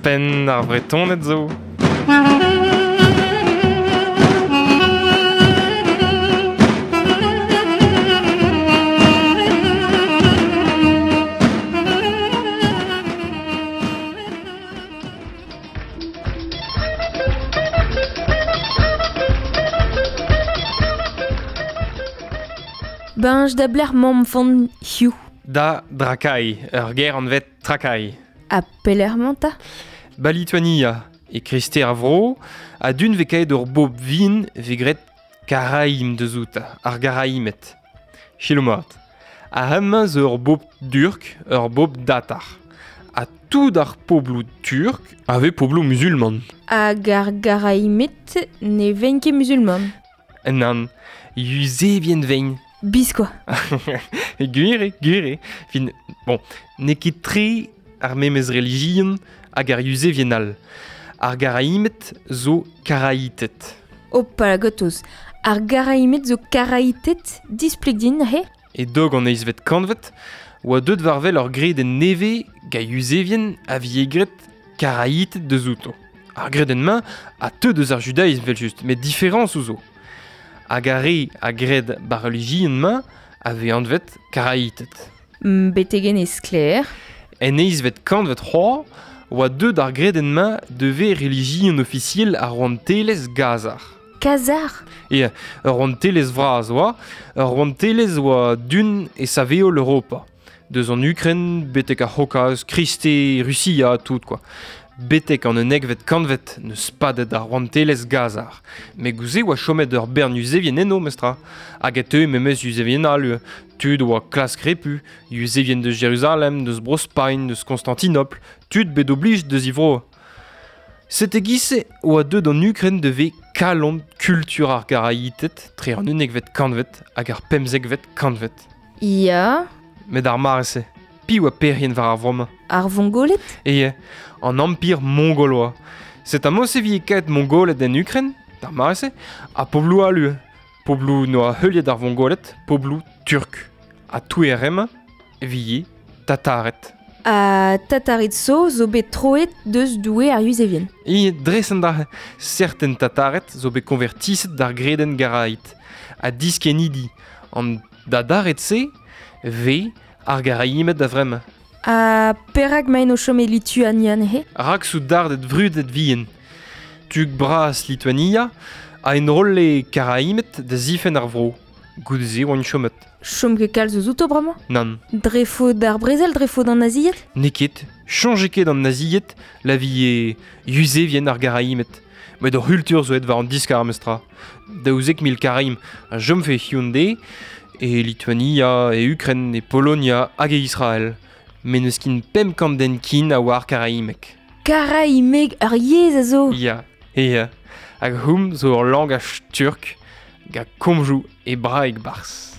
Penn ar Vretoned zo. Beñj da blec'h mamm fan hiziv. Da Drakai, ur gêr anvet Trakai. Ha pelec'h 'mañ 'ta? Ba Lituania, e kreisteiz ar vro, ha d'un vez kaet ur bobl vihan vez graet Karaim deus outañ, ar Garaimed. Selaou mat. Ar hemañ zo ur bobl durk, ur bobl datar. Ha tout ar pobloù turk a vez pobloù muzulman. Hag ar Garaimed ne vegn ket muzulman. Nann, yuzevien vein. Biskoazh. Gwir eo, gwir eo. Fin, bon, n'eo ket tre ar memes relijion hag ar yuzevien all. Ar Garaimed zo Karaited. Hopala gotoz. Ar Garaimed zo Karaited? Displeg din neuze. E-doug an eizhvet kantved oa deuet war-wel ur gredenn nevez gant yuzevien a vije graet Karaited deus outo. Ar gredenn-mañ a teu deus ar judaism evel-just, met diferañsoù zo. Hag ar re a gred ba'r relijion-mañ a vez anvet Karaited. Betek en e sklaer. En eizhvet kantved c'hoazh oa deuet ar gredenn-mañ da vezañ relijion ofisiel ar rouantelezh Gazar. Kazar? Ya, ur rouantelezh vras oa, ur rouantelezh oa dun e saveol Europa. Deus an Ukren betek ar C'haokaz, Kriste, Rusia, tout quoi. Betek an unnekvet kantved n'eus padet ar rouantelezh Gazar. Met gouze oa chomet ur bern yuzevien eno, mestra. Hag e teue memes yuzevien all, tud oa klask repu, yuzevien deus Jeruzalem, deus Bro-Spagn, deus Konstantinopl, tud bet oblij deus e vro. Sete giz-se oa deuet an Ukren da vezañ kalon kultur ar Garaited tre an unnekvet kantved hag ar pemzekvet kantved. Ya. Met ar mare-se, piv oa perc'henn war ar vro-mañ? Ar Vongoled? Eo, an Empir mongol oa. Set' amañ se vije kaet Mongoled en Ukren, d'ar mare-se, ha pobloù all ivez. Pobloù n'oa heuliet ar Vongoled, pobloù turk. Ha touer emañ e vije Tatared. Ha Tatared zo zo bet troet deus doue ar Yuzevien. E dres an dra serten Tatared zo bet konvertiset d'ar gredenn Garaid ha diskennidi an Dadared-se vez ar Garaimed da vremañ. Ha perak 'maint o chom e Lituania neuze? Rak soudarded vrudet vihan. Tuk bras Lituania a enrolle Karaimed da zifenn ar vro. Goude-se oant chomet. Chom ket kalz eus outo bremañ? Nann. Dre faot ar brezel, dre faot an nazied? N'eo ket. Soñje ket an nazied la vie yuzevien ar Garaimed. Met o c'hultur zo aet war an diskar memestra. 12 000 Karaim a chomfe hiziv e Lituania, e Ukren, e Polonia hag e Israel. Met n'eus ken 500 den ken a oar karaimeg. Karaimeg, ur yezh a zo! Ya, ya. Hag houm zo ur langaj turk gant komzoù hebraek barzh.